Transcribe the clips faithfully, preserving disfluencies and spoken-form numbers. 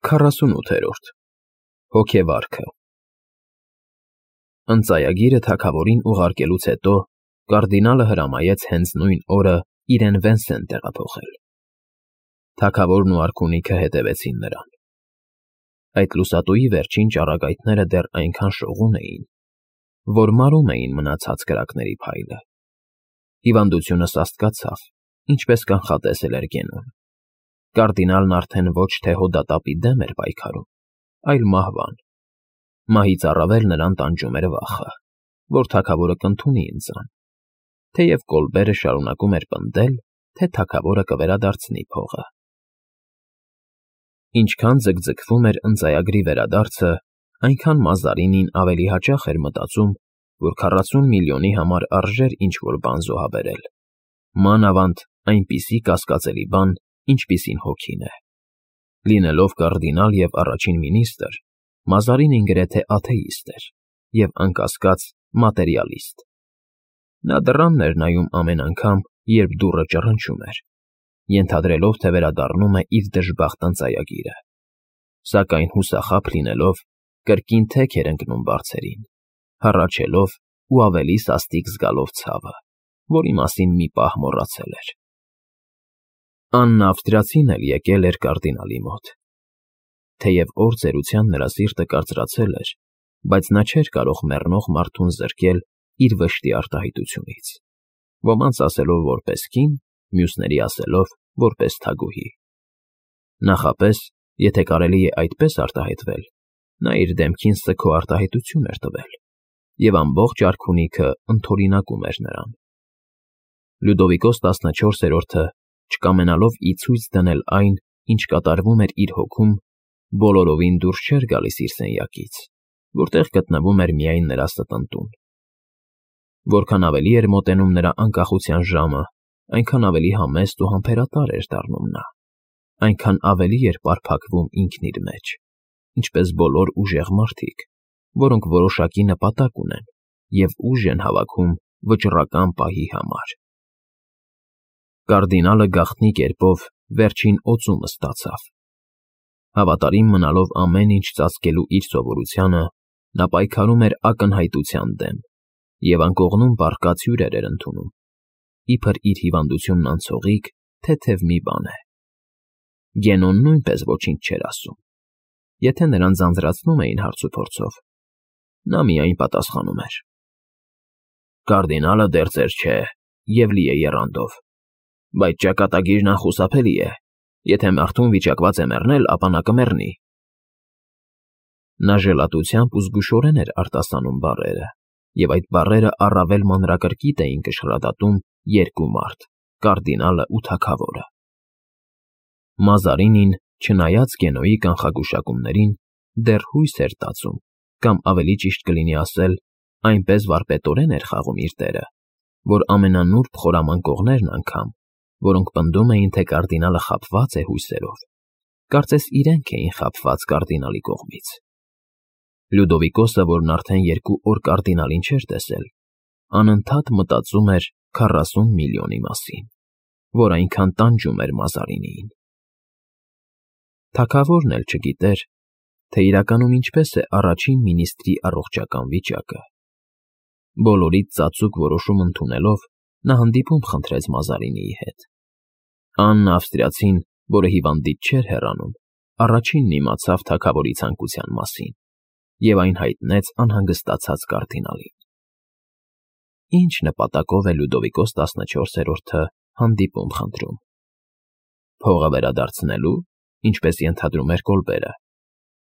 Քառասունութերորդ Հոգեվարքը Ընծայագիրը թագավորին ուղարկելուց հետո կարդինալը հրամայեց հենց նույն օրը իրեն Վենսեն տեղափոխել։ Թագավորն ու արքունիքը հետևեցին նրան։ Այդ լուսատուի վերջին ճառագայթները դեռ այնքան շողուն էին, որ մարում էին մնացած կրակների փայլը։ Հիվանդությունը սաստկացավ, ինչպես կանխատեսել էր Գենոն։ Կարդինալն արդեն ոչ թե հոդատապի դեմ էր պայքարում, այլ մահվան։ Մահից առավել նրան տանջում էր վախը, որ թագավորը կընդունի ընծան, թեև Կոլբերը շարունակում էր պնդել, թե թագավորը կվերադարձնի փողը։ Ինչքան ձգձգվում էր ընծայագրի վերադարձը, այնքան Մազարինին ավելի հաճախ էր մտածում, որ քառասուն միլիոնի համար արժեր ինչ-որ բան զոհաբերել, մանավանդ այնպիսի կասկածելի բան, ինչպիսին հոգին է։ Լինելով կարդինալ և առաջին մինիստր, Մազարինին գրեթե աթեիստ էր և, անկասկած, մատերիալիստ։ Նա դռանն էր նայում ամեն անգամ, երբ դուռը ճռնչում էր, ենթադրելով, թե վերադառնում է իր դժբախտ ընծայագիրը, սակայն հուսախաբ լինելով, կրկին թեք էր ընկնում բարձերին, հառաչելով ու ավելի սաստիկ զգալով ցավը, որի մասին մի պահ մոռացել էր։ Աննա Ավստրիացին էլ եկել էր կարդինալի մոտ։ Թեև օր ծերության նրա սիրտը կարծրացել էր, բայց նա չէր կարող մեռնող մարդուն զրկել իր վշտի արտահայտությունից, ոմանց ասելով որպես կին, մյուսների ասելով որպես թագուհի։ Նախապես, եթե կարելի է այդպես արտահայտվել, նա իր դեմքին սգո արտահայտություն էր տվել, և ամբողջ արքունիքը ընդօրինակում էր նրան։ Լյուդովիկոս տասնչորսերորդը, չկամենալով ի ցույց դնել այն, ինչ կատարվում էր իր հոգում, բոլորովին դուրս չէր գալիս իր սենյակից, որտեղ գտնվում էր միայն նրա ստընտուն։ Որքան ավելի էր մոտենում նրա անկախության ժամը, այնքան ավելի համեստ ու համբերատար էր դառնում նա, այնքան ավելի էր պարփակվում ինքն իր մեջ, ինչպես բոլոր ուժեղ մարդիկ, որոնք որոշակի նպատակ ունեն և ուժ են հավաքում վճռական պահի համար։ Կարդինալը գաղտնի կերպով վերջին օծումը ստացավ։ Հավատարիմ մնալով ամեն ինչ ծածկելու իր սովորությանը, նա պայքարում էր ակնհայտության դեմ և անկողնում պառկած հյուրեր էր ընդունում, իբր իր հիվանդությունն անցողիկ, թեթև մի բան է։ Գենոն նույնպես ոչինչ չէր ասում։ Եթե նրան ձանձրացնում էին հարցուփորձով, նա միայն պատասխանում էր. Կարդինալը դեռ ծեր չէ և լի է եռանդով, բայց ճակատագիրն անխուսափելի է, եթե մարդուն վիճակված է մեռնել, ապա նա կմեռնի։ Նա ժլատությամբ ու զգուշորեն էր արտասանում բառերը, և այդ բառերը առավել մանրակրկիտ էին կշռադատում երկու մարդ՝ կարդինալը ու թագավորը։ Մազարինին, չնայած Գենոյի կանխագուշակումներին, դեռ հույս էր տածում, կամ ավելի ճիշտ կլինի ասել, այնպես վարպետորեն էր խաղում իր դերը, որ ամենանուրբ խորամանկողներն անգամ, որոնք պնդում էին, թե կարդինալը խաբված է հույսերով, կարծես իրենք էին խաբված կարդինալի կողմից։ Լյուդովիկոսը, որն արդեն երկու օր կարդինալին չէր տեսել, անընդհատ մտածում էր քառասուն միլիոնի մասին, որ այնքան տանջում էր Մազարինիին։ Թագավորն էլ չգիտեր, թե իրականում ինչպես է առաջին մինիստրի առողջական վիճակը։ Բոլորից ծածուկ որոշում ընդունելով, նա հանդիպում խնդրեց Մազարինիի հետ։ Աննա Ավստրիացին, որը հիվանդից չէր հեռանում, առաջինն իմացավ թագավորի ցանկության մասին և այն հայտնեց անհանգստացած կարդինալին։ Ինչ նպատակով է Լյուդովիկոս տասնչորսերորդը հանդիպում խնդրում։ Փողը վերադարձնելու, ինչպես ենթադրում էր Կոլբերը,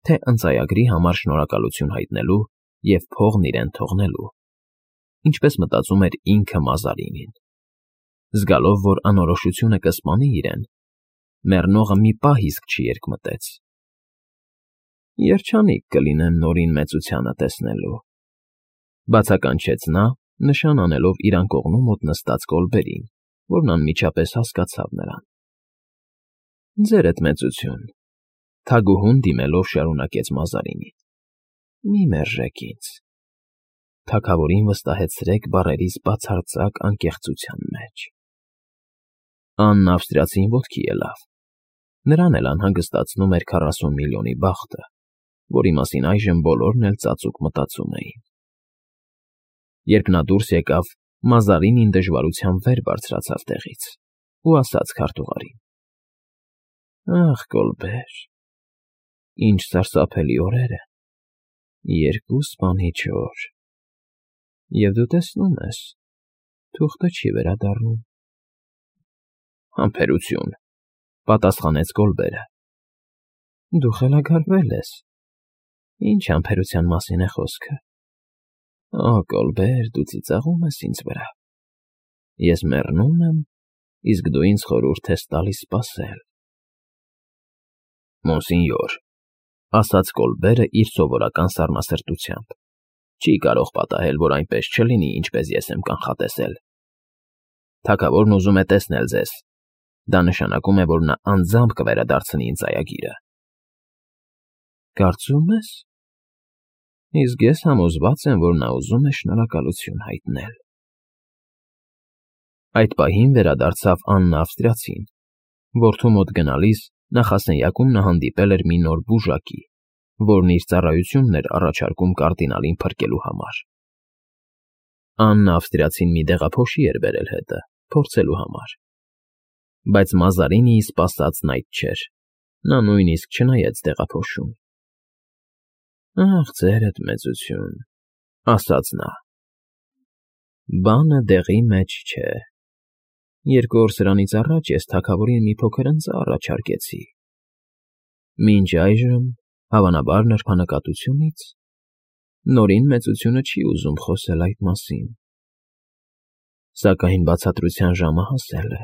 թե ընծայագրի համար շնորհակալություն հայտնելու և փողն իրեն թողնելու, ինչպես մտածում էր ինքը Մազարինին։ Զգալով, որ անորոշությունը կսպանի իրեն, մեռնողը մի պահ իսկ չի երկմտեց։ Երջանիկ կլինեմ նորին մեծությանը տեսնելու, բացականչեց նա, նշան անելով իր անկողնու մոտ նստած Կոլբերին, որն անմիջապես հասկացավ նրան։ Ձերդ մեծություն, թագուհուն դիմելով շարունակեց Մազարինին, մի մերժեք ինձ։ Թագավորին վստահեցրեք բառերիս բացարձակ անկեղծության մեջ։ Աննա Ավստրիացին ոտքի ելավ, Նրան էլ անհանգստացնում էր քառասուն միլիոնի բախտը, որի մասին այժմ բոլորն էլ ծածուկ մտածում էին։ Երբ նա դուրս եկավ, Մազարինին դժվարությամբ վեր բարձրացավ տեղից ու ասաց քարտուղարին. «Ախ, Կոլբեր, ինչ սարսափելի օրեր են, երկու սպանիչ օր, և դու տեսնում ես, թուղթը չի վերադառնում»։ «Համբերություն», պատասխանեց Կոլբերը։ «Դու խելագարվել ես, ինչ համբերության մասին է խոսքը։ Օ, Կոլբեր, դու ծիծաղում ես ինձ վրա։ Ես մեռնում եմ, իսկ դու ինձ խորհուրդ ես տալիս սպասել»։ «Մոնսինյոր», ասաց Կոլբերը իր սովորական սառնասրտությամբ, չի կարող պատահել, որ այնպես չլինի, ինչպես ես եմ կանխատեսել։ Թագավորն ուզում է տեսնել ձեզ, դա նշանակում է, որ նա անձամբ կվերադարձնի ինձ այագիրը։ Կարծում ես։ Իսկ ես համոզված եմ, որ նա ուզում է շնորհակալություն հայտնել։ Այդ պահին վերադարձավ Աննա Ավստրիացին, որդու մոտ գնալիս նախասենյակում նա հանդիպել էր մի նոր բուժակի, որն իր ծառայությունն էր առաջարկում կարդինալին փրկելու համար։ Աննա Ավստրիացին մի դեղափոշի էր բերել հետը, փորձելու համար։ Բայց Մազարինիի սպասածն այդ չէր, նա նույնիսկ չնայեց դեղափոշուն։ «Ախ, ձերդ մեծություն», ասաց նա։ «Բանը դեղի մեջ չէ։ Երկու օր սրանից առաջ ես թագավորին մի փոքր ընձա առաջարկեցի։ Մինչ այժմ, հավանաբար նրբանկատությունից, նորին մեծությունը չի ուզում խոսել այդ մասին։ Սակայն բացատրության ժամը հասել է,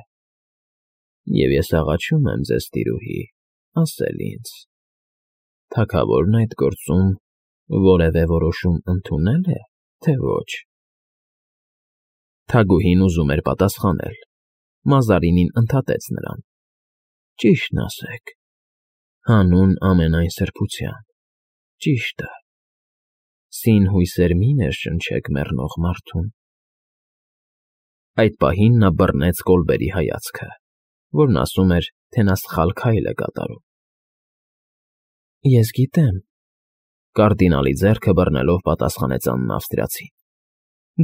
և ես աղաչում եմ ձեզ, տիրուհի, ասել ինձ. թագավորն այդ գործում որևէ որոշում ընդունե՞լ է, թե ոչ»։ Թագուհին ուզում էր պատասխանել։ Մազարինին ընդհատեց նրան. «Ճիշտն ասեք, հանուն ամենայն սրբության, ճիշտը, սին հույսեր մի ներշնչեք մեռնող մարդուն»։ Այդ պահին նա բռնեց Կոլբերի հայացքը, որն ասում էր, թե նա սխալ քայլ է կատարում։ «Ես գիտեմ», կարդինալի ձեռքը բռնելով պատասխանեց Աննա Ավստրիացին։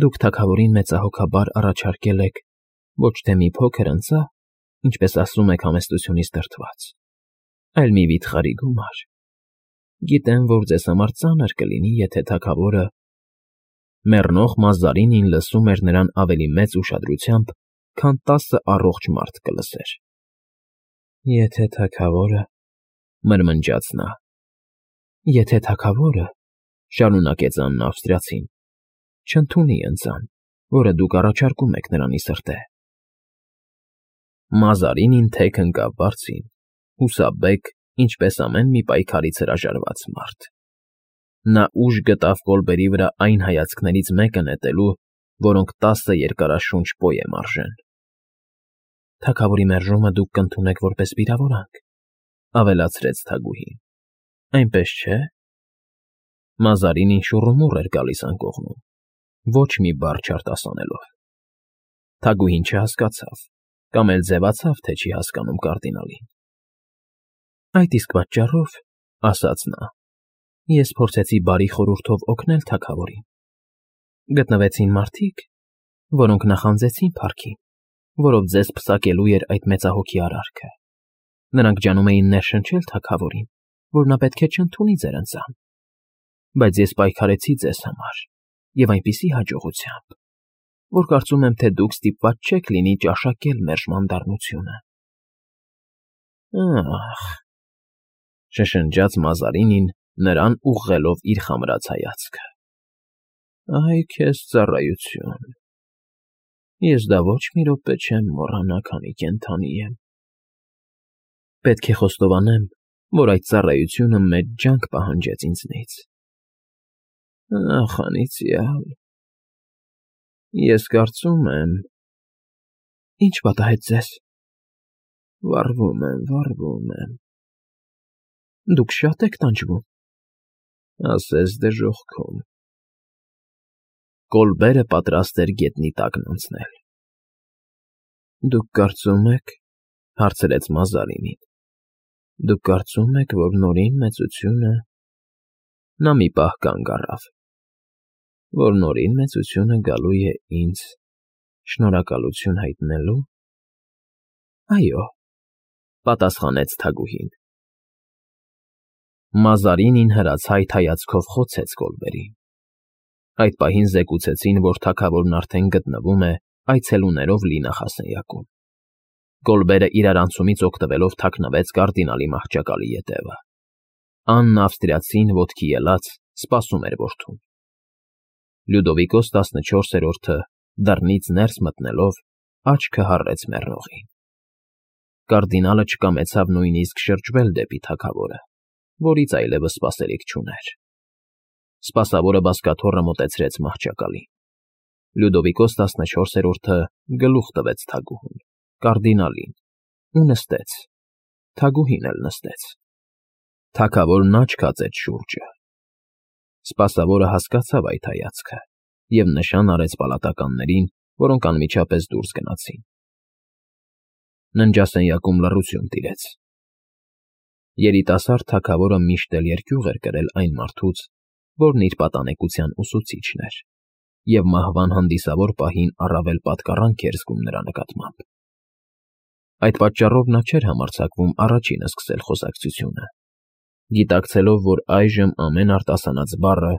«Դուք թագավորին մեծահոգաբար առաջարկել եք ոչ թե մի փոքր ընձա, ինչպես ասում եք համեստությունից դրդված, այլ մի վիթխարի գումար։ Գիտեմ, որ ձեզ համար ծանր կլինի, եթե թագավորը…» Մեռնող Մազարինին լսում էր նրան ավելի մեծ ուշադրությամբ, քան տասը առողջ մարդ կլսեր։ «Եթե թագավորը…» մրմնջաց նա։ «Եթե թագավորը…» շարունակեց Աննա Ավստրիացին, «չընդունի ընձան, որը դուք առաջարկում եք նրանի սրտե»։ Մազարինին թեք ընկավ բարձին, հուսաբեկ, ինչպես ամեն մի պայքարից հրաժարված մարդ։ Նա ուժ գտավ Կոլբերի վրա այն հայացքներից մեկը նետելու, որոնք տասը երկարաշունչ պոեմ արժեն։ «Թագավորի մերժումը դուք կընդունեք որպես վիրավորանք», ավելացրեց թագուհին։ «Այնպես չէ՞»։ Մազարինին շուռումուռ էր գալիս անկողնում, ոչ մի բառ չարտասանելով։ Թագուհին չհասկացավ, կամ էլ ձևացավ, թե չի հասկանում կարդինալին։ «Այդ իսկ պատճառով, — ասաց նա, — ես փորձեցի բարի խորհուրդով օգնել թագավորին։ Գտնվեցին մարդիկ, որոնք նախանձեցին փառքին, որով ձեզ պսակելու էր այդ մեծահոգի արարքը։ Նրանք ջանում էին ներշնչել թագավորին, որ նա պետք է չընդունի ձեր ընծան։ Բայց ես պայքարեցի ձեզ համար, և այնպիսի հաջողությամբ, որ կարծում եմ, թե դուք ստիպված չեք լինի ճաշակել մերժման դառնությունը»։ «Ախ…» շշնջաց Մազարինին, նրան ուղղելով իր խամրած հայացքը։ «Այ քեզ ծառայություն… Ես դա ոչ մի րոպե չեմ մոռանա, քանի կենդանի եմ։ Պետք է խոստովանեմ, որ այդ ծառայությունը մեծ ջանք պահանջեց ինձնից։ Ախ, անիծյալ… Ես կարծում եմ… Ի՞նչ պատահեց ձեզ։ Վառվում եմ, վառվում եմ… Դուք շա՞տ եք տանջվում։ Ասես դժոխքում։ Կոլբերը պատրաստ էր գետնի տակն անցնել։ «Դուք կարծում եք…» հարցրեց Մազարինին, Դուք կարծում եք, որ նորին մեծությունը… Նա մի պահ կանգ առավ, որ նորին մեծությունը գալու է ինձ շնորհակալություն հայտնելու։ ֊ Այո, ֊ պատասխանեց թագուհին։ Մազարինին հրացայտ հայացքով խոցեց Կոլբերին։ Այդ պահին զեկուցեցին, որ թագավորն արդեն գտնվում է այցելուներով լի նախասենյակում։ Կոլբերը իրարանցումից օգտվելով թաքնվեց կարդինալի մահճակալի ետևը։ Աննն ավստրիացին ոտքի ելած սպասում էր որդուն։ Լյուդովիկոս տասնչորսերորդը դռնից ներս մտնելով աչքը հառեց մեռողին։ Կարդինալը չկամեցավ նույնիսկ շրջվել դեպի թագավորը, որից այլևս սպասելիք չուներ։ Սպասավորը բազկաթոռը մոտեցրեց մահճակալին։ Լյուդովիկոս տասնչորսերորդը գլուխ տվեց թագուհուն, կարդինալին, ու նստեց, թագուհին էլ նստեց։ Թագավորն աչք հացեց շուրջը։ Սպասավորը հասկացավ այդ հայացքը և նշան արեց պալատականներին, որոնք անմիջապես դուրս գնացին։ Ննջասենյակում լռություն տիրեց։ Երիտասարդ թագավորը միշտ էլ երկյուղ էր կրել այն մարդուց, որն իր պատանեկության ուսուցիչն էր, և մահվան հանդիսավոր պահին առավել պատկառանք էր զգում նրա նկատմամբ։ Այդ պատճառով նա չէր համարձակվում առաջինը սկսել խոսակցությունը, գիտակցելով, որ այժմ ամեն արտասանած բառը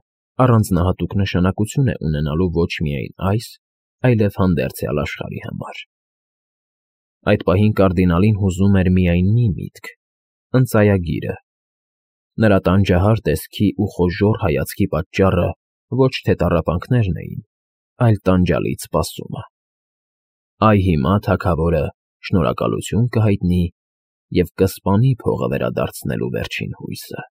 առանձնահատուկ նշանակություն է ունենալու ոչ միայն այս, այլև հանդերձյալ աշխարհի համար։ Այդ պահին կարդինալին հուզում էր միայն մի միտք՝ ընծայագիրը։ Նրա տանջահար տեսքի ու խոժոռ հայացքի պատճառը ոչ թե տառապանքներն էին, այլ տանջալից սպասումը։ Այ հիմա թագավորը շնորհակալություն կհայտնի և կսպանի փողը վերադարձնելու վերջին հույսը։